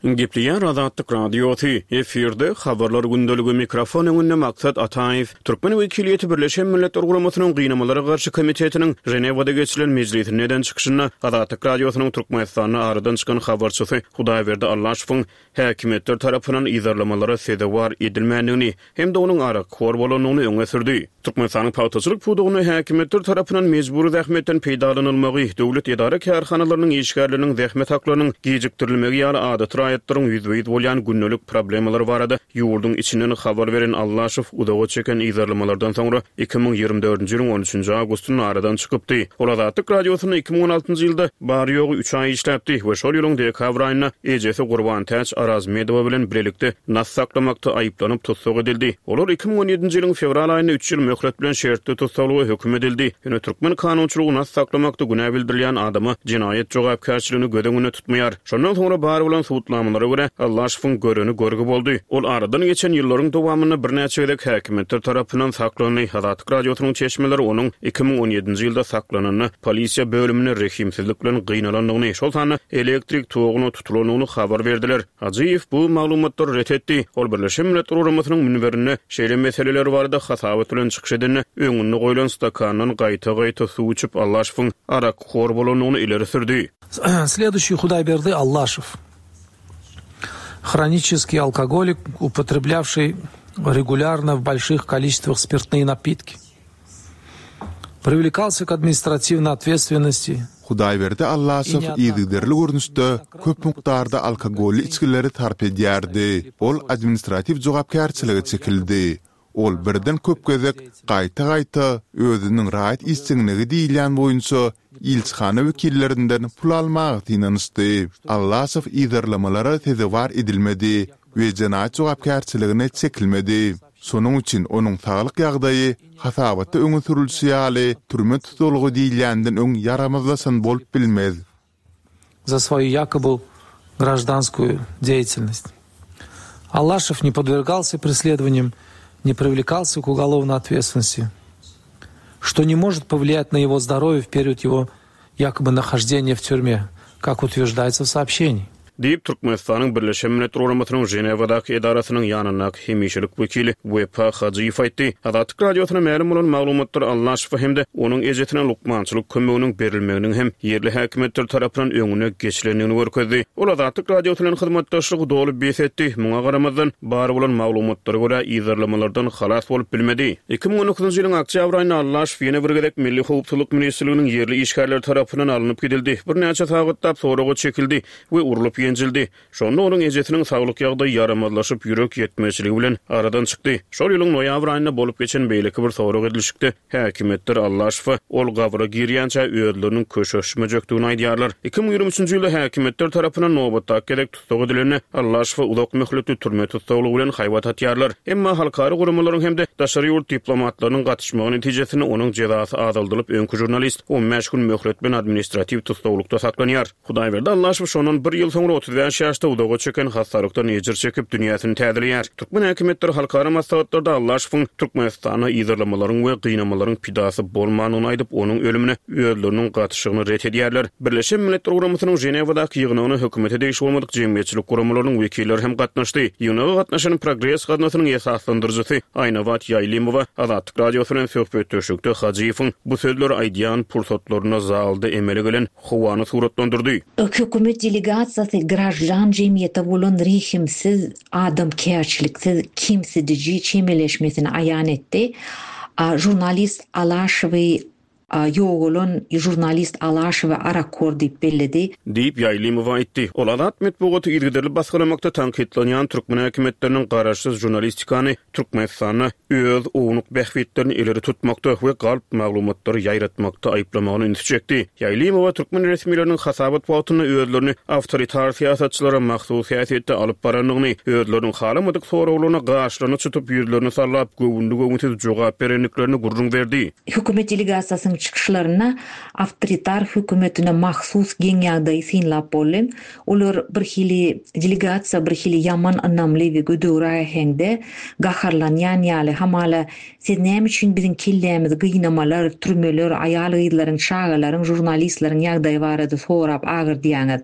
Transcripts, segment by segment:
Gepleýär Azatlyk Radiosy, efirde Habarlar gündeligi, mikrofon öňünde Maksat Ataýew. Türkmen wekiliýeti Birleşen Milletler Guramasynyň Gynamalara garşy komitetiniň Ženewada geçirilen mejlisinde eden çykyşynda Azatlyk Radiosynyň Türkmenistanda aradan çykan habarçysy Hudaýberdi Allaşowyň häkimiýetler tarapyndan yzarlamalara sezewar edilmändigini hem-de onuň arakhor bolandygyny öňe sürdi. Türkmenistanyň pagtaçylyk pudagynda häkimiýetler tarapyndan mejbury zähmetden peýdalanylmagy, döwlet edara-kärhanalarynyň işgärleriniň zähmet haklarynyň gijikdirilmegi ýaly adaty raýatlaryň ýüzbe-ýüz bolýan gündelik problemalary barada ýurduň içinden habar beren Allaşow uzaga çeken yzarlamalardan soňra 2024-nji ýylyň on üçünji awgustynda aradan çykypdy. Ol Azatlyk Radiosynda 2016-njy ýylda bary-ýogy üç aý işläpdi we şol ýylyň dekabr aýynda ejesi Gurbantäç Arazmedowa bilen bilelikde nas saklamakda aýyplanyp tussag edildi. Olar 2017-nji ýylyň fewral aýynda üç ýyl möhlet bilen şertli tussaglyga höküm edildi. Ýöne türkmen kanunçylygy nas saklamakda günä bildirilýän adama jenaýat jogapkärçiligini göz öňünde tutmaýar. Şondan soňra bar bolan subutnamalara görä, Allaşowyň göreni görgi boldy. Ol aradan geçen ýyllaryň dowamynda birnäçe gezek häkimiýetler tarapyndan saklandy. Azatlyk Radiosynyň çeşmeleri onuň 2017-nji ýylda saklananda polisiýa bölüminde rehimsizlik bilen gynalandygyny, şol sanda elektrik toguna tutulandygyny habar berdiler. Hajyýew bu maglumatlary ret etdi. Ol Birleşen Milletler Guramasynyň münberinde şeýle meseleler barada hasabat bilen çykyş edende, öňünde goýlan stakandan gaýta-gaýta suw içip, Allaşowyň arakhor bolandygyny ileri sürdi. Следующий Hudaýberdi Allaşow. Хронический алкоголик, употреблявший регулярно в больших количествах спиртные напитки. Привлекался к administratiwnoý otветственности. Hudaýberdi Allaşow yzygiderli görnüşde köp mukdarda alkogolly içgileri sarp edýärdi. Ol administratiw jogapkärçilige çekildi. Ol birden köp gezek gaýta-gaýta özüniň raýat işjeňligi diýilýän boýunça ilçihana wekillerinden pul almaga synanyşdy. Allaşow yzarlamalara sezewar edilmedi we jenaýat jogapkärçiligine çekilmedi. Şonuň üçin onuň saglyk ýagdaýy hasabatda öňe sürülişi ýaly türme tussaglygy diýilýänden öň ýaramazlaşan bolup bilmez. Za svoýu ýakoby graždanskuýu deýatelnost. Allaşow ne podwergalsya presledowaniýam, ne priwlekalsya k ugolovnoý otvetstvennosti, što ne možet powliýat na ýego zdorowýe w period ýego ýakoby nahoždeniýa w týurme, kak utwerždaýtsa w soobşeniýi. Diýip, Türkmenistanyň Birleşen Milletler Guramasynyň Ženewadaky edarasynyň ýanyndaky hemişelik wekili Wepa Hajyýew aýtdy. Azatlyk Radiosyna mälim bolan maglumatlar Allaşowa hem-de onuň ejesine lukmançylyk kömeginiň berilmeginiň hem ýerli häkimiýetler tarapyndan öňüne geçilendigini görkezdi. Ol Azatlyk Radiosy bilen hyzmatdaşlygy doly bes etdi, muňa garamazdan, bar bolan maglumatlara görä, yzarlamalardan halas bolup bilmedi. 2019-njy ýylyň oktýabr aýynda Allaşow ýene bir gezek Milli howpsuzlyk ministrliginiň ýerli işgärleri tarapyndan alnyp gidildi, birnäçe sagatlap soraga çekildi we urlup ýenjildi. Şonda onuň ejesiniň saglyk ýagdaýy ýaramazlaşyp, ýürek ýetmezçiligi bilen aradan çykdy. Şol ýylyň noýabr aýynda bolup geçen beýleki bir sorag edilişikde häkimiýetler Allaşowa ol gabra girýänçä özleriniň köşeşmejekdigini aýdýarlar. 2023-nji ýylda häkimiýetler tarapyndan nobatdaky gezek tussag edilende, Allaşowa uzak möhletli türme tussaglygy bilen haýbat atýarlar. Emma halkara guramalaryň hem-de daşary ýurt diplomatlarynyň gatyşmagy netijesinde onuň jezasy azaldylyp, öňki žurnalist on bäş gün möhlet bilen administratiw tussaglykda saklanýar. Hudaýberdi Allaşow şondan bir ýyl soňra 35 ýaşda uzaga çeken hassalykdan ejir çekip, dünýäsini täzeleýär. Türkmen häkimiýetleri halkara maslahatlarda Allaşowyň Türkmenistanda yzarlamalaryň we gynamalaryň pidasy bolmandygyny aýdyp, onuň ölümine özleriniň gatyşygyny ret edýärler. Birleşen Milletler Guramasynyň Ženewadaky ýygnagyna hökümete degişli bolmadyk jemgyýetçilik guramalarynyň wekilleri hem gatnaşdy. Ýygnaga gatnaşan Progres gaznasynyň esaslandyryjysy Aýnabat Ýaýlymowa Azatlyk Radiosy bilen söhbetdeşlikde Hajyýewiň bu sözleri aýdýan pursatlarynda zalda emele gelen howany suratlandyrdy. Hökümet delegasiýasy graždan jemgyýete bolan rehimsiz, adamkärçiliksiz, kemsidiji çemeleşmesini aýan etdi. Žurnalist Alaşowy Ýogalan žurnalist Alaşowy arakhor diýip belledi. Diýip, Ýaýlymowa aýtdy. Ol azat metbugaty yzygiderli basgylamakda tankytlanýan türkmen häkimiýetleriniň garaşsyz žurnalistikany Türkmenistanda öz ownuk bähbitlerini ileri tutmakda we galp maglumatlary ýaýratmakda aýyplamagyna ünsi çekdi. Ýaýlymowa türkmen resmileriniň hasabat wagtynda özlerini awtoritar syýasatçylara mahsus häsiýetde alyp barandygyny, özleriniň halamadyk soraglaryna gaşlaryny çytyp, ýüzlerini sallap, göwünli-göwünsiz jogap berendiklerini gürrüň berdi. Hökümet delegasiýasynyň. çykyşlarynda awtoritar hökümetine mahsus geň ýagdaýy synlap boldy. Olar birhili delegasiýa birhili ýaman ynamly we gödegräk äheňde gaharlanýan ýaly, hamala, Siz näme üçin biziň kellämizi gynamalar, türmeler, aýal-gyzlaryň, çagalaryň, žurnalistleriň ýagdaýy barada sorap agyrdýaňyz?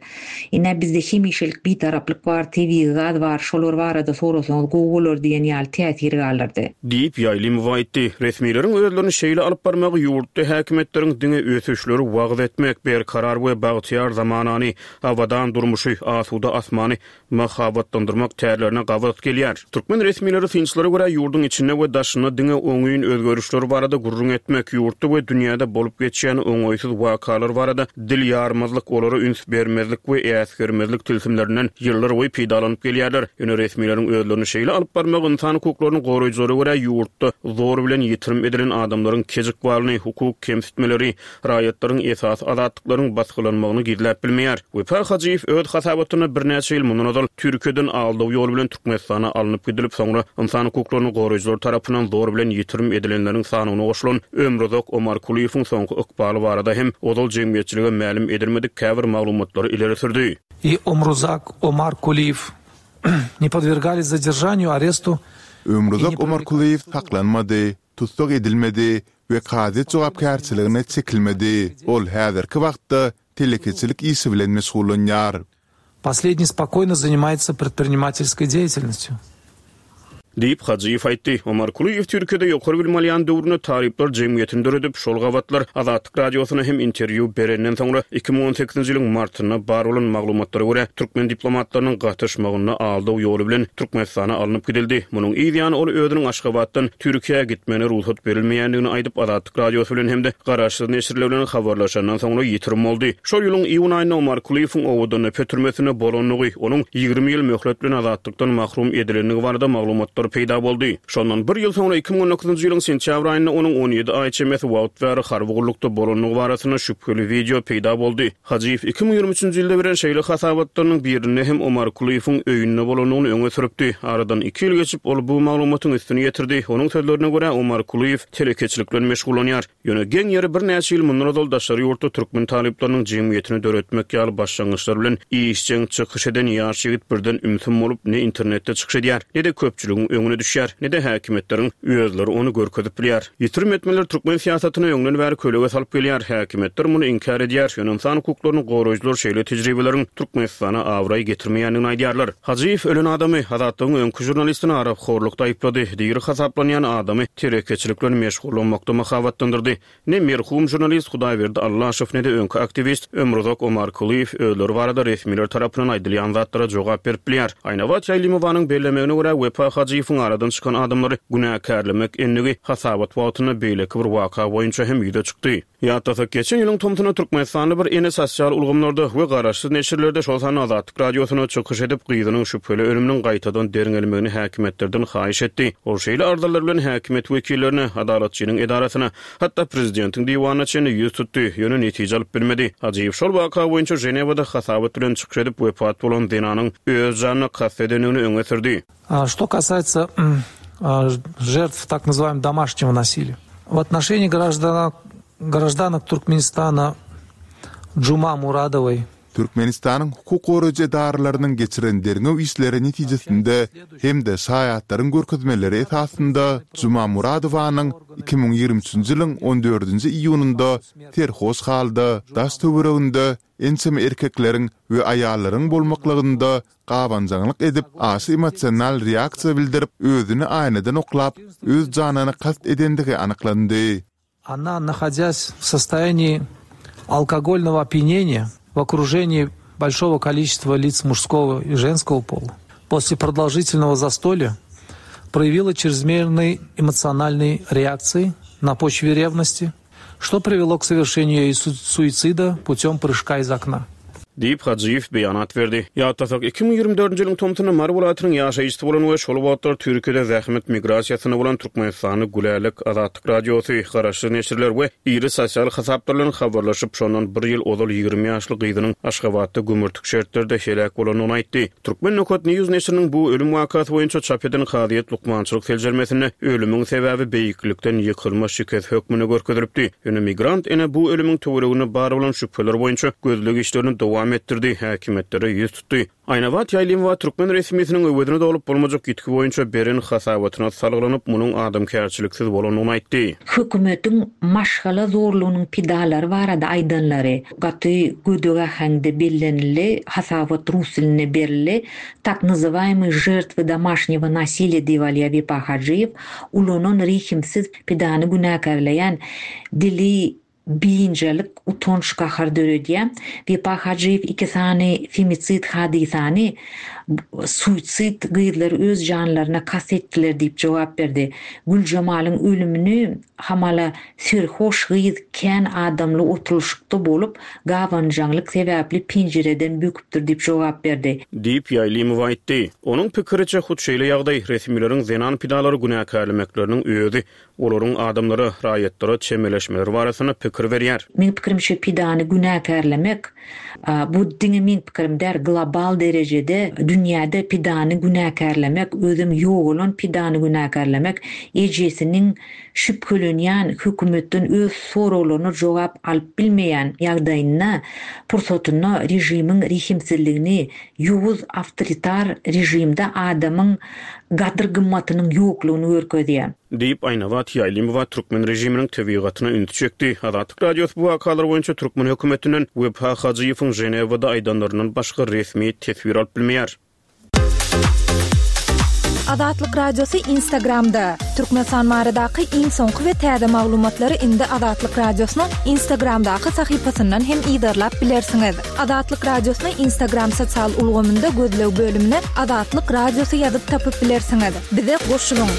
Ine, bizde hemişelik bitaraplyk bar, tebigy gaz bar, şolar barada sorasaňyz gowy bolar diýen ýaly täsir galdyrdy. Diýip, Ýaýlymowa aýtdy. Resmileriň özlerini şeýle alyp barmagy ýurtda häkimiýetleriň diňe ösüşleri wagyz etmek, berkarar we bagtyýar zamanany, abadan durmuşy, asuda asmany mahabatlandyrmak tärlerine gabat gelýär. Türkmen resmileri synçylara görä ýurduň içinde we daşynda diňe oňyn özgerişler barada gürrüň etmek, ýurtda we dünýäde bolup geçýän oňaýsyz wakalar barada dil ýarmazlyk, olara üns bermezlik we äsgermezlik tilsimlerinden ýyllarboýy peýdalanyp gelýärler. Ýöne resmileriň özlerini şeýle alyp barmagy ynsan hukuklaryny goraýjylara görä ýurtda zor bilen ýitirim edilen adamlaryň kej ykbalyny, hukuk kemsitmeleri, raýatlaryň esasy azatlyklaryň basgylanmagyny gizläp bilmeýär. Wepa Hajyýew öz hasabatynda birnäçe ýyl mundan ozal Türkiýeden aldaw ýoly bilen Türkmenistana alnyp gidilip, soňra ynsan hukuklaryny goraýjylar tarapyndan zor bilen ýitirim edilenleriň sanawyna goşulan Ömruzak Omarkulyýewiň soňky ykbaly barada hem ozal jemgyýetçilige mälim edilmedik käbir maglumatlary ileri sürdi. I Omruzak Omarkuliýew ne podwergались zadержанию, arestu Ömruzak Omarkulyýew saklanmady, tussag edilmedi we kazyýet jogapkärçiligine çekilmedi. Ol häzirki wagtda telekeçilik işi bilen meşgullanýar. Posledniý spokoýno zanimaýtsa predprinimatelskoý deýatelnostýu. Diýip, Hajyýew aýtdy. Omarkulyýew Türkiýede ýokary bilim alýan döwründe talyplar jemgyýetini döredip, şol gabatlar Azatlyk Radiosyna hem interwýu berenden soňra, 2018-nji ýylyň martynda bar bolan maglumatlara görä, türkmen diplomatlarynyň gatyşmagynda aldaw ýoly bilen Türkmenistana alnyp gidildi. Munuň yz ýany ol özüniň Aşgabatdan Türkiýä gitmegine rugsat berilmeýändigini aýdyp, Azatlyk Radiosy bilen hem-de garaşsyz neşirler bilen habarlaşandan soňra ýitirim boldy. Şol ýylyň iýun aýynda Omarkulyýewiň Owadandepe türmesinde bolandygy, onuň 20 ýyl möhlet bilen azatlykdan mahrum edilendigi barada maglumatlar peýda boldy. Şondan bir ýyl soňra 2019-njy ýylyň sentýabr aýynda onuň 17 aý çemesi wagt bäri harby gullukda bolandygy barasynda şübheli wideo peýda boldy. Hajyýew 2023-nji ýylda beren şeýle hasabatlarynyň birinde hem Omarkulyýewiň öýünde bolandygyny öňe sürüpdi. Aradan iki ýyl geçip, ol bu maglumatyň üstüni ýetirdi. Onuň sözlerine görä, Omarkulyýew telekeçilik bilen meşgullanýar. Ýöne geň ýeri birnäçe ýyl mundan ozal daşary ýurtda türkmen talyplarynyň jemgyýetini döretmek ýaly başlangyçlar bilen işjeň çykyş eden ýaş ýigit birden ümsüm bolup ne internetde çykyş edýär, ne-de köpçüligiň öňüne düşýär, ne-de häkimiýetleriň özleri ony görkezip bilýär. Ýitirim etmeler türkmen syýasatyna öňden bäri kölege salyp gelýär. Häkimiýetler muny inkär edýär, ýöne ynsan hukuklaryny goraýjylar şeýle tejribeleriň Türkmenistana abraý getirmeýändigini aýdýarlar. Hajyýew ölen adamy, Azatlygyň öňki žurnalistini arakhorlukda aýyplady, diri hasaplanýan adamy telekeçilik bilen meşgullanmakda mahabatlandyrdy. Ne merhum žurnalist Hudaýberdi Allaşow, ne-de öňki aktiwist Ömruzak Omarkulyýew özleri barada resmiler tarapyndan aýdylýan zatlara jogap berip bilýär. Aýnabat Ýaýlymowanyň bellemegine görä, Wepa Hajyýewiň aradan çykan adamlary günäkärlemek endigi hasabat wagtynda beýleki bir waka boýunça hem ýüze çykdy. Ýatlasak, geçen ýylyň tomsunda türkmenistanly bir ene sosial ulgamlarda we garaşsyz neşirlerde, şol sanda Azatlyk Radiosyna çykyş edip, gyzynyň şübheli ölüminiň gaýtadan derňelmegini häkimiýetlerden haýyş etdi. Ol şeýle arzalar bilen häkimiýet wekillerine, Adalatçynyň edarasyna, hatda prezidentiň diwanyna çenli ýüz tutdy, ýöne netije alyp bilmedi. Hajyýew şol waka boýunça Ženewada hasabat bilen çykyş edip, wepat bolan zenanyň öz janyna kast edendigini öňe sürdi. Что касается жертв так называемого домашнего насилия. В отношении гражданок, гражданок Туркменистана Джума Мурадовой Türkmenistanyň hukuk goraýjy edaralarynyň geçiren derňew işleri netijesinde hem-de şaýatlaryň görkezmeleri esasynda Juma Muradowanyň 2023-nji ýylyň on dördünji iýunynda serhoş halda daş-töwereginde ençeme erkekleriň we aýallaryň bolmaklygynda gabanjaňlyk edip, aşa emosional reaksiýa bildirip, özüni aýnadan oklap, öz janyna kast edendigi anyklandy. Ona, nahodýas w sostoýaniýi alkogolnogo opýaneniýa w okruženii bolşogo koliçestwa lic mužskogo i ženskogo pola, posle prodolžitelnogo zastolýa proýawila çrezmernyý emosionalnyý reaksiýi na poçwe rewnosti, Что привело к совершению ею суицида путем прыжка из окна. Diýip, Hajyýew beýanat berdi. Ýatlasak, 2024-nji ýylyň tomsunda Mary welaýatynyň ýaşaýjysy bolan we şol wagtlar Türkiýede zähmet migrasiýasynda bolan türkmenistanly Gülälek, Azatlyk Radiosy, garaşsyz neşirler we iri sosial hasaplar bilen habarlaşyp, şondan bir ýyl ozal 20 ýaşly gyzynyň Aşgabatda gümürtik şertlerde heläk bolandygyny aýtdy. Turkmen Nokat News neşiriniň bu ölüm wakasy boýunça çap eden kazyýet lukmançylyk seljermesinde ölümiň sebäbi beýiklikden ýykylma şikesi hökmünde görkezilipdi. Ýöne migrant ene bu ölümiň töwereginde bar bolan şübheler boýunça gözleg işlerini dowam etdirdi, häkimiýetlere ýüz tutdy. Aýnabat Ýaýlymowa türkmen resmisiniň öwezini dolup bolmajak ýitgi boýunça beren hasabatyna salgylanyp, munuň adamkärçiliksiz bolandygyny aýtdy. Hökümetiň maşgala zorlugynyň pidalary barada aýdanlary gaty gödek äheňde bellenildi, hasabat rus dilinde berildi. Tak nazywaýemyý žertwy domaşnýego nasiliýa diýip alýar Wepa Hajyýew, ulanan rehimsiz pidany günäkärleýän dili biynjalyk, utanç, gahar döredýär. Wepa Hajyýew iki sany femisid hadysany suisid, gyzlar öz janlaryna kast etdiler diýip jogap berdi. Güljemalyň ölümini hamala serhoş gyz kän adamly oturylyşykda bolup, gabanjaňlyk sebäpli penjireden böküpdir diýip jogap berdi. Diýip, Ýaýlymowa aýtdy. Onuň pikiriçe, hut şeýle ýagdaý resmileriň zenan pidalary günäkärlemekleriniň özi olaryň adamlara, raýatlara çemeleşmeleri barasynda pikir berýär. Meň pikirimçe pidany günäkärlemek, bu diňe meň pikirim däl, global derejede dünýäde pidany günäkärlemek, özem ýogalan pidany günäkärlemek, ejesiniň şübhelenýän hökümetden öz soraglaryna jogap alyp bilmeýän ýagdaýynda, pursatynda režimiň rehimsizligini, ýowuz awtoritar režimde adamyň gadyr-gymmatynyň ýoklugyny görkezýär. Diýip, Aýnabat Ýaýlymowa türkmen režiminiň tebigatyna ünsi çekdi. Azatlyk Radiosy bu wakalar boýunça türkmen hökümetinden Wepa Hajyýewiň Ženewada aýdanlaryndan başga resmi teswir alyp bilmeýär. Azatlyk Radiosy Instagramda, Türkmenistan baradaky iň soňky we täze maglumatlary indi Azatlyk Radiosynyň Instagramdaky sahypasyndan hem yzarlap bilersiňiz. Azatlyk Radiosyny Instagram sosial ulgamynda gözleg bölümine Azatlyk Radiosy ýazyp tapyp bilersiňiz. Bize goşulyň!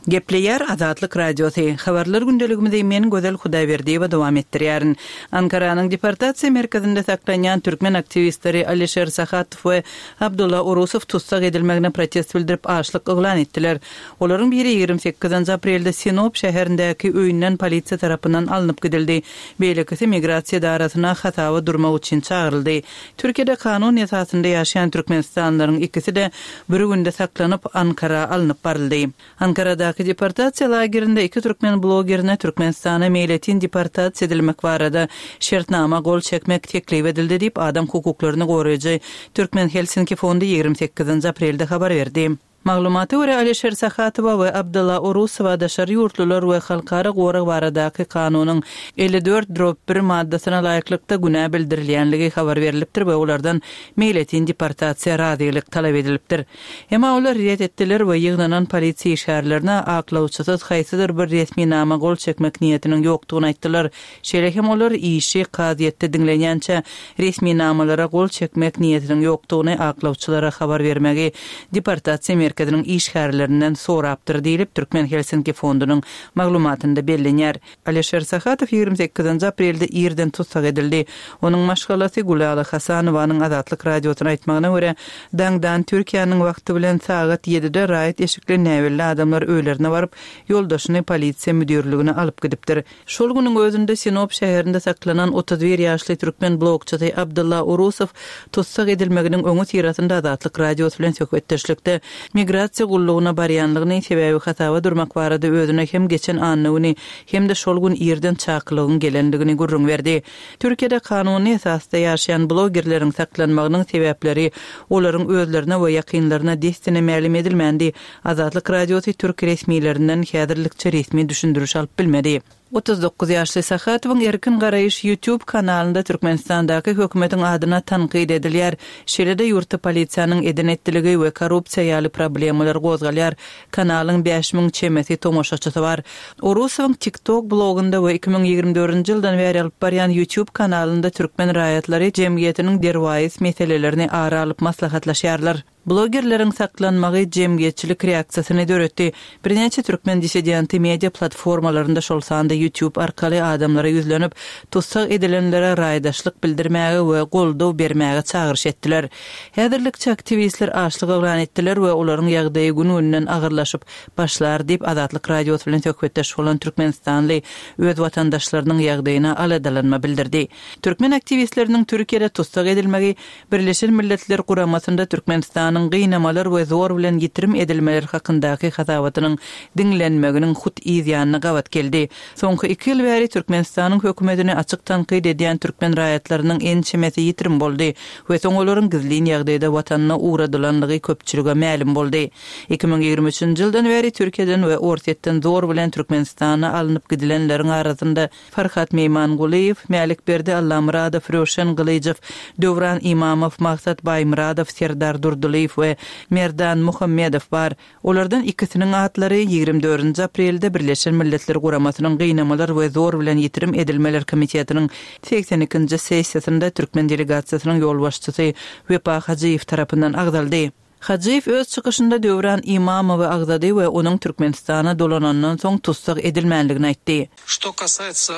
Gepleýär Azatlyk Radiosy. Habarlar gündeligimizi men Gözel Hudaýberdiýewa dowam etdirýärin. Ankaranyň deportasiýa merkezinde saklanýan türkmen aktiwistleri Alişer Sahatow we Abdulla Orusow tussag edilmegine protest bildirip açlyk yglan etdiler. Olaryň biri 28 aprelde Sinop şäherindäki öýünden polisiýa tarapyndan alnyp gidildi. Beýlekisi migrasiýa edarasyna hasaba durmak üçin çagyryldy. Türkiýede kanun esasynda ýaşaýan türkmenistanlylaryň ikisi-de bir günde saklanyp, Ankara alnyp baryldy. Ankaradaky deportasiýa lagerinde iki türkmen blogerine Türkmenistana meýletin deportasiýa edilmek barada şertnama gol çekmek teklip edildi diýip, adam hukuklaryny goraýjy Türkmen Helsinki fondy 28 aprelde habar berdi. Maglumata görä, Alişer Sahatowa we Abdylla Orusowa daşary ýurtlular we halkara gorag baradaky kanunyň 54 drop bir maddasyna laýyklykda günä bildirilýänligi habar berlipdir we olardan meýletin deportasiýa razylyk talap edilipdir. Emma olar ret etdiler we ýygnanan polisiýa işgärlerine aklawçysyz haýsydyr bir resminama gol çekmek niýetiniň ýokdugyny aýtdylar. Şeýle hem olar işi kazyýetde diňlenýänçä resminamalara gol çekmek niýetiniň ýokdugyny aklawçylara habar bermegi deportasiýa merkeziniň işgärlerinden sorapdyr diýlip, Türkmen Helsinki fondunyň maglumatynda bellenýär. Alişer Sahatow 28 aprelde irden tussag edildi. Onuň maşgalasy Gülala Hasanowanyň Azatlyk Radiosyna aýtmagyna görä, daňdan Türkiýäniň wagty bilen sagat ýedide raýat eşikli näbelli adamlar öýlerine baryp, ýoldaşyny polisiýa müdirligine alyp gidipdir. Şol günüň özünde Sinop şäherinde saklanan 31 ýaşly türkmen blogçysy Abdylla Urusow tussag edilmeginiň öňüsyrasynda Azatlyk Radiosy bilen söhbetdeşlikde migrasiýa gullugyna barýanlygyny, sebäbi hasaba durmak barada özüne hem geçen anna güni, hem-de şol gün irden çakylygyň gelendigini gürrüň berdi. Türkiýede kanuny esasda ýaşaýan blogerleriň saklanmagynyň sebäpleri olaryň özlerine we ýakynlaryna dessine mälim edilmändi. Azatlyk Radiosy türk resmilerinden häzirlikçe resmi düşündiriş alyp bilmedi. 39 ýaşly Sahatowyň Erkin garaýyş YouTube kanalynda Türkmenistandaky hökümetiň adyna tankyt edilýär. Şeýle-de ýurtda polisiýanyň eden-etdiligi we korrupsiýa ýaly problemalar gozgalýar. Kanalyň 5000 çemesi tomaşaçysy bar. Orusowyň TikTok blogunda we 2024-nji ýyldan bäri alyp barýan YouTube kanalynda türkmen raýatlary jemgyýetiniň derwaýys meselelerini ara alyp maslahatlaşýarlar. Blogerleriň saklanmagy jemgyýetçilik reaksiýasyny döretdi. Birnäçe türkmen dissidenti media platformalarynda, şol sanda YouTube arkaly adamlara ýüzlenip, tussag edilenlere raýdaşlyk bildirmäge we goldaw bermäge çagyryş etdiler. Häzirlikçe aktiwistler açlyk yglan etdiler we olaryň ýagdaýy gün-günden agyrlaşyp başlar diýip, Azatlyk Radiosy bilen söhbetdeş bolan türkmenistanly öz watandaşlarynyň ýagdaýyna aladalanma bildirdi. Türkmen aktiwistleriniň Türkiýede tussag edilmegi Birleşen Milletler Guramasynda Türkmenistanyň gynamalar we zor bilen ýitirim edilmeler hakyndaky hasabatynyň diňlenmeginiň hut yz ýanyna gabat geldi. Soňky iki ýyl bäri Türkmenistanyň hökümetini açyk tankyt edýän türkmen raýatlarynyň ençemesi ýitirim boldy we soň olaryň gizlin ýagdaýda watanyna ugradylanlygy köpçülige mälim boldy. 2023-nji ýyldan bäri Türkiýeden we Orsýetden zor bilen Türkmenistana alnyp gidilenleriň arasynda Farhat Meýmangulyýew, Mälikberdi Allamyradow, Röwşen Gylyjow, Döwran Imamow, Maksat Baýmyradow, Serdar Durdylyýew we Merdan Muhammedow bar. Olardan ikisiniň atlary ýigrimi dördünji aprelde Birleşen Milletler Guramasynyň Gynamalar we zor bilen ýitirim edilmeler komitetiniň 82-nji sessiýasynda türkmen delegasiýasynyň ýolbaşçysy Wepa Hajyýew tarapyndan agzaldy. Hajyýew öz çykyşynda Döwran Imamowy agzady we onuň Türkmenistana dolanandan soň tussag edilmänligini aýtdy. Što kasaýtsa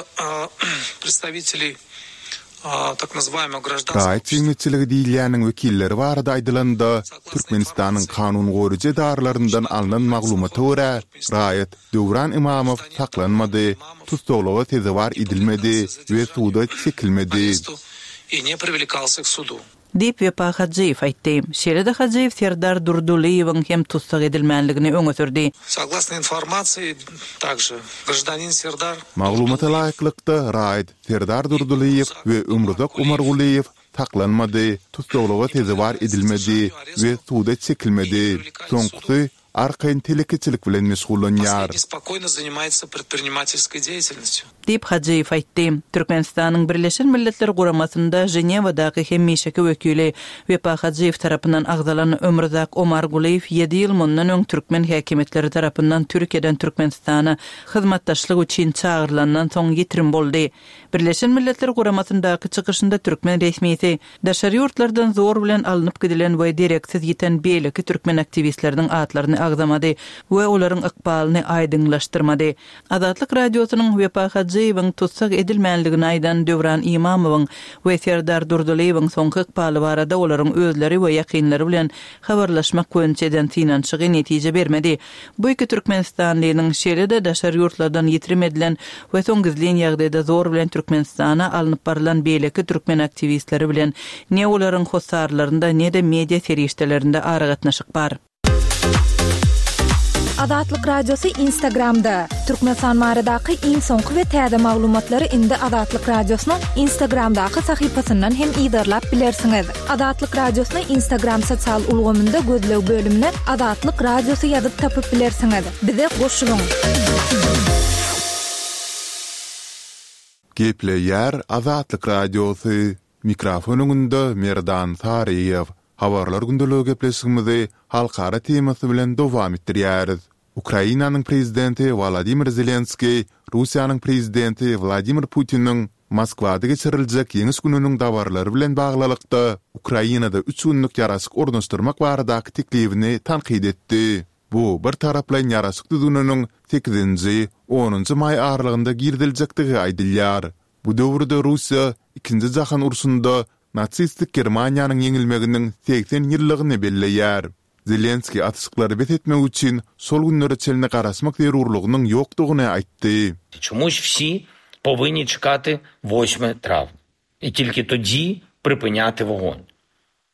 predstawiteley tak nazywaýmogo graždanskogo Raýat jemgyýetçiligi diýilýäniň wekilleri barada aýdylanda, Türkmenistanyň kanun goraýjy edaralaryndan alnan maglumata görä, raýat Döwran Imamow saklanmady, tussaglyga sezewar edilmedi we suda çekilmedi. Diýip, Wepa Hajyýew aýtdy. Şeýle-de Hajyýew Serdar Durdylyýewiň hem tussag edilmänligini öňe sürdi. Soglasno informasiýi, takže graždanin Serdar Maglumata laýyklykda, raýat Serdar Durdylyýew we Ömruzak Omargulyýew saklanmady, tussaglyga sezewar edilmedi we suda çekilmedi. Soňkusy arkaýyn telekeçilik bilen meşgullanýar. Diýip, Hajyýew aýtdy. Türkmenistanyň Birleşen Milletler Guramasynda Ženewadaky hemişeki wekili Wepa Hajyýew tarapyndan agzalan Ömruzak Omargulyýew ýedi ýyl mundan öň türkmen häkimiýetleri tarapyndan Türkiýeden Türkmenistana hyzmatdaşlyk üçin çagyrylandan soň ýitirim boldy. Birleşen Milletler Guramasyndaky çykyşynda türkmen resmisi Daşary ýurtlardan zor bilen alnyp gidilen we dereksiz ýiten beýleki türkmen aktiwistleriniň atlaryny agzamady we olaryň ykbalyny aýdyňlaşdyrmady. Azatlyk Radiosynyň Wepa Hajyýewiň tussag edilmänligini aýdan Döwran Imamowyň we Serdar Durdylyýewiň soňky ykbaly barada olaryň özleri we ýakynlary bilen habarlaşmak boýunça eden synanyşygy netije bermedi. Bu iki türkmenistanlynyň, şeýle-de daşary ýurtlardan ýitirim edilen we soň gizlin ýagdaýda zor bilen Türkmenistana alnyp barylan beýleki türkmen aktiwistleri bilen ne olaryň hossarlarynda, ne-de media serişdelerinde aragatnaşyk bar. Azatlyk Radiosy Instagramda, Türkmenistan baradaky iň soňky we täze maglumatlary indi Azatlyk Radiosynyň Instagramdaky sahypasyndan hem yzarlap bilersiňiz. Azatlyk Radiosyny Instagram sosial ulgamynda gözleg bölümine Azatlyk Radiosy ýazyp tapyp bilersiňiz. Bize goşulyň! Gepleýär Azatlyk Radiosy, Mikrofon öňünde Merdan Saryýew. Habarlar gündeligi gepleşigimizi halkara temasy bilen dowam etdirýäris. Ukrainanyň prezidenti Wolodymyr Zelenskiý Russiýanyň prezidenti Wladimir Putiniň Moskwada geçiriljek Ýeňiş gününiň dabaralary bilen baglylykda, Ukrainada üç günlük ýaraşyk ornaşdyrmak baradaky teklibini tankyt etdi. Bu bir taraplaýyn ýaraşyk düzgüniniň sekizinji, onunjy maý aralygynda giriziljekdigi aýdylýar. Bu döwürde Russiýa Ikinji jahan urşunda nasistik Germaniýanyň ýeňilmeginiň 80 ýyllygyny belleýär. Zelenskiý atyşyklary bes etmek üçin şol günlere çenli garaşmak zerurlygynyň ýokdugyny aýtdy. Çemuş wsi powinni çekaty wośme trawnia i tilki todzi pripinýaty wogon,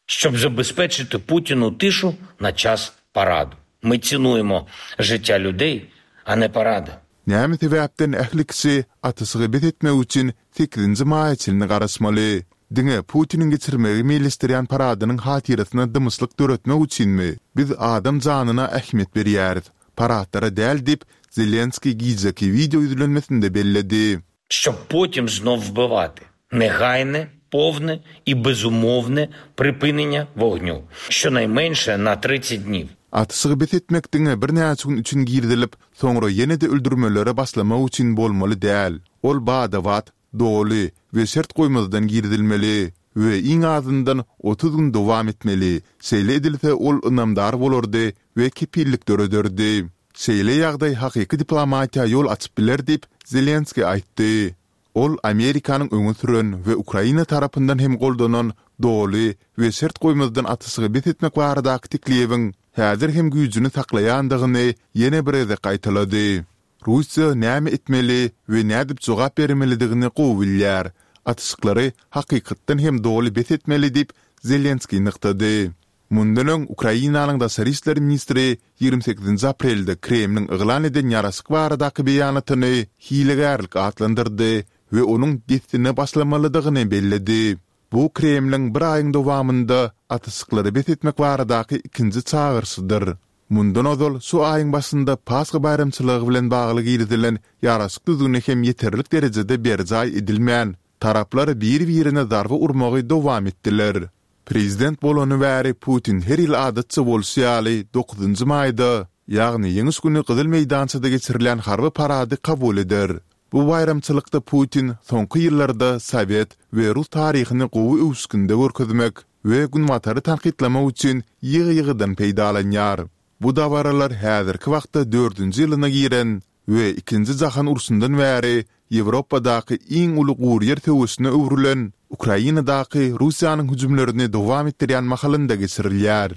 şçob zabezpeçiti Putinu tişu na ças paradu. My tsinujemo žytýa lýudey, a ne parady. Näme sebäpden ähli kişi atyşygy bes etmek üçin sekizinji maýa çenli garaşmaly? Diňe Putiniň geçirmegi meýilleşdirýän paradynyň hatyrasyna dymyşlyk döretmek üçinmi? Biz adam janyna ähmiýet berýäris, paradlara däl diýip, Zelenskiý gijeki wideo ýüzlenmesinde belledi. Şob potim znow wbywaty. Negaýne, powne i bezumowne pripyneniýa wognýu, şçonaýmenşe na tridset dniw. Atyşygy bes etmek diňe birnäçe gün üçin girizilip, soňra ýene-de öldürmelere başlamak üçin bolmaly däl. Ol bada-bat, doly we şert goýmazdan girizilmeli. we iň azyndan 30 gün dowam etmeli, şeýle edilse ol ynamdar bolardy we kepillik dörederdi. Şeýle ýagdaý hakyky diplomatiýa ýol açyp biler diýip, Zelenskiý aýtdy. Ol Amerikanyň öňe süren we Ukraina tarapyndan hem goldanan doly we şert goýmazdan atyşygy bes etmek baradaky teklibiň häzir hem güýjüni saklaýandygyny ýene bir gezek gaýtalady. Russiýa näme etmeli we nädip jogap bermelidigini gowy bilýär. Atyşyklary hakykatdan hem doly bes etmeli diýip, Zelenskiý nygtady. Mundan öň, Ukrainanyň daşary işler ministri 28-nji aprelde Kremliň yglan eden ýaraşyk baradaky beýanatyny hilegärlik atlandyrdy we onuň dessine başlamalydygyny belledi. Bu Kremliň bir aýyň dowamynda atyşyklary bes etmek baradaky ikinji çagyryşydyr. Mundan ozal, şu aýyň başynda Pasha baýramçylygy bilen bagly girizilen ýaraşyk düzgüni hem ýeterlik derejede berjaý edilmän, taraplar biri-birine zarba urmagy dowam etdiler. Prezident bolany bäri Putin her ýyl adatça bolşy ýaly dokuzynjy maýda, ýagny Ýeňiş güni Gyzyl meýdançada geçirilýän harby parady kabul eder. Bu baýramçylykda Putin soňky ýyllarda sowet we rus taryhyny gowy öwüşginde görkezmek we Günbatary tankytlamak üçin ýygy-ýygydan peýdalanýar. Bu dabaralar häzirki wagtda dördünji ýylyna giren we Ikinji jahan urşundan bäri Ýewropadaky iň uly guryýer söweşine öwrülen Ukrainadaky Russiýanyň hüjümlerini dowam etdirýän mahalynda geçirilýär.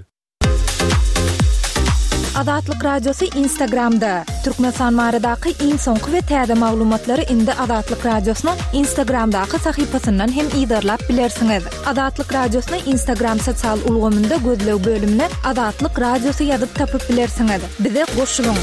Azatlyk Radiosy Instagramda, Türkmenistan baradaky iň soňky we täze maglumatlary indi Azatlyk Radiosynyň Instagramdaky sahypasyndan hem yzarlap bilersiňiz. Azatlyk Radiosyny Instagram sosial ulgamynda gözleg bölümine Azatlyk Radiosy ýazyp tapyp bilersiňiz. Bize goşulyň!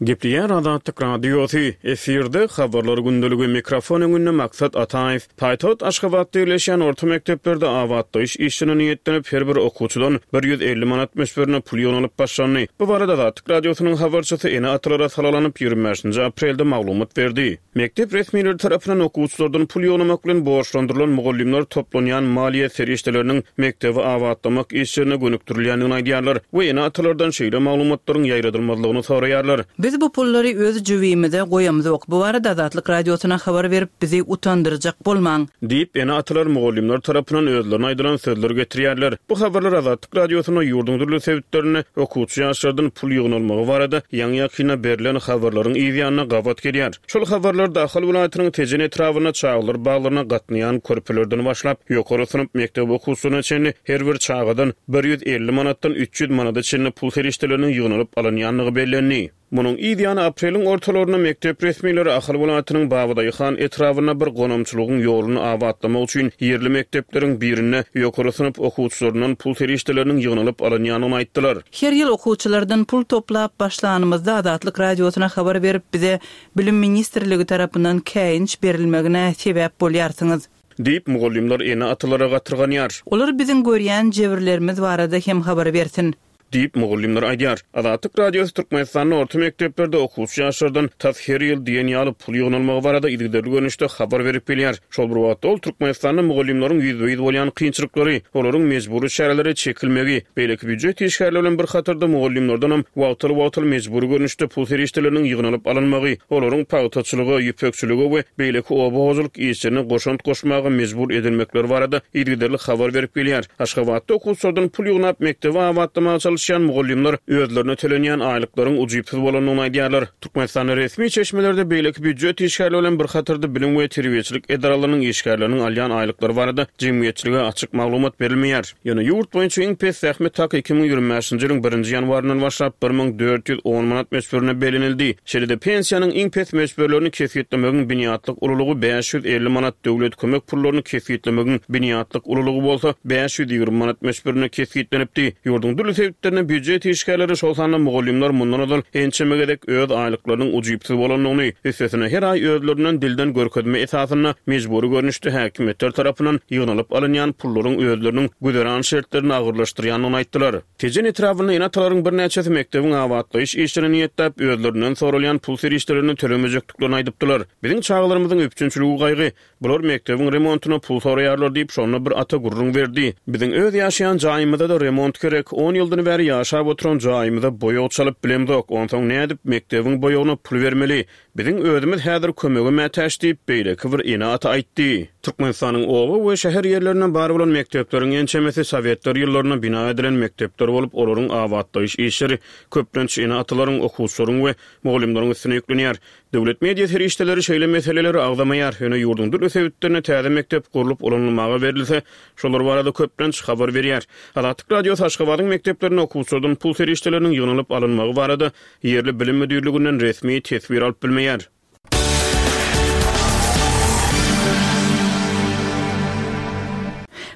Gepleýär Azatlyk Radiosy, efirde Habarlar gündeligi, mikrofon öňünde Maksat Ataýew. Paýtagt Aşgabatda ýerleşýän orta mekdeplerde abatlaýyş işlerine niýetlenip, her bir okuwçydan 150 manat möçberinde pul ýygnalyp başlandy. Bu barada Azatlyk Radiosynyň habarçysy ene-atalara salgylanyp, 25-nji aprelde maglumat berdi. Mekdep resmileri tarapyndan okuwçylardan pul ýygnamak bilen borçlandyrylan mugallymlar toplanýan maliýe serişdeleriniň mekdebi abatlamak işlerine gönükdirilýändigini aýdýarlar we ene-atalardan şeýle maglumatlaryň ýaýradylmazlygyny soraýarlar. Biz bu pullary öz jübimize goýamzok. Bu barada Azatlyk Radiosyna habar berip, bizi utandyrjak bolmaň. Diýip, ene-atalar mugallymlar tarapyndan özlerine aýdylan sözleri getirýärler. Bu habarlar Azatlyk Radiosynda ýurduň dürli sebitlerinde okuwçy ýaşlardan pul ýygnalmagy barada ýaňy-ýakynda berlen habarlaryň yz ýanyna gabat gelýär. Şol habarlarda Ahal welaýatynyň Tejen etrabynda çagalar baglaryna gatnaýan körpelerden başlap, ýokary synp mekdep okuwçylaryna çenli her bir çagadan 150 manatdan 300 manada çenli pul serişdeleriniň ýygnalyp alynýandygy bellendi. Munuň yz ýany apreliň ortalarynda mekdep resmileri Ahal welaýatynyň Babadaýhan etrabynda bir gonamçylygyň ýoluny abatlamak üçin ýerli mekdepleriň birinde ýokary synp okuwçylaryndan pul serişdeleriniň ýygnalyp alynýandygyny aýtdylar. Her ýyl okuwçylardan pul toplap başlanymyzda Azatlyk Radiosyna habar berip bize Bilim ministrligi tarapyndan käýinç berilmegine sebäp bolýarsyňyz. Diýip, mugallymlar ene-atalara gatyrganýar. Olar biziň görýän jebirlerimiz barada hem habar bersin. Diýip, mugallymlar aýdýar. Azatlyk Radiosy Türkmenistanda orta mekdeplerde okuwçy ýaşlardan tas her ýyl diýen ýaly pul ýygnalmagy barada yzygiderli görnüşde habar berip gelýär. Şol bir wagtda, ol Türkmenistanda mugallymlaryň ýüzbe-ýüz bolýan kynçylyklary, olaryň mejbury çärelere çekilmegi, beýleki býujet işgärleri bilen bir hatarda mugallymlardanam wagtal-wagtal mejbury görnüşde pul serişdeleriniň ýygnalyp alynmagy, olaryň pagtaçylyga, ýüpekçilige we beýleki oba hojalyk işlerine goşant goşmaga mejbur edilmekleri barada yzygiderli habar berip gelýär. Aşgabatda okuwçylardan pul ýygnap, mekdebi abatlamaga çalyşýan mugallymlar özlerine tölenýän aýlyklaryň ujypsyz bolandygyny aýdýarlar. Türkmenistanda resmi çeşmelerde beýleki býujet işgärleri bilen bir hatarda bilim we terbiýeçilik edaralarynyň işgärleriniň alýan aýlyklary barada jemgyýetçilige açyk maglumat berilmeýär. Ýöne ýurt boýunça iň pes zähmet haky 2025-nji ýylyň birinji ýanwaryndan başlap 1410 manat möçberinde bellenildi. Şeýle-de pensiýanyň iň pes möçberlerini kesgitlemegiň binýatlyk ululygy 550 manat, döwlet kömek pullaryny kesgitlemegiň binýatlyk ululygy bolsa 520 manat möçberinde kesgitlenipdi. Ýurduň dürli sebitlerinde býujet işgärleri, şol sanda mugallymlar mundan ozal ençeme gezek öz aýlyklarynyň ujypsyz bolandygyny, üstesine her aý özlerinden dilden görkezme esasynda mejbury görnüşde häkimiýetler tarapyndan ýygnalyp alynýan pullaryň özleriniň güzeran şertlerini agyrlaşdyrýandygyny aýtdylar. Tejen etrabynda ene-atalaryň birnäçesi mekdebiň abatlaýyş işlerine niýetläp, özlerinden soralýan pul serişdelerini tölemejekdiklerini aýdypdylar. Biziň çagalarymyzyň üpjünçiligi gaýgy. Bular mekdebiň remontyna pul soraýarlar diýip, şonda bir ata gürrüň berdi. Biziň öz ýaşaýan jaýymyza-da remont gerek. On ýyldan bäri. bäri ýaşap oturan jaýymyza boýag çalyp bilemzok, onsoň nädip mekdebiň boýagyna pul bermeli? Biziň özümiz häzir kömege mätäç diýip, beýleki bir ene-ata aýtdy. Türkmenistanyň oba we şäher ýerlerinde bar bolan mekdepleriň ençemesi sowetler ýyllarynda bina edilen mekdepler bolup, olaryň abatlaýyş işleri köplenç ene-atalaryň, okuwçylaryň we mugallymlaryň üstüne ýüklenýär. Döwlet media serişdeleri şeýle meseleleri agzamaýar, ýöne ýurduň dürli sebitlerinde täze mekdep gurlup ulanylmaga berilse, şolar barada köplenç habar berýär. Azatlyk Radiosy Aşgabadyň mekdeplerinde okuwçylardan pul serişdeleriniň ýygnalyp alynmagy barada ýerli bilim müdirliginden resmi teswir alyp bilmeýär.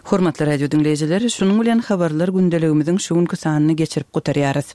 Hormatly radio diňleýjiler, şunuň bilen habarlar gündeligimiziň şu günki sanyny geçirip gutarýarys.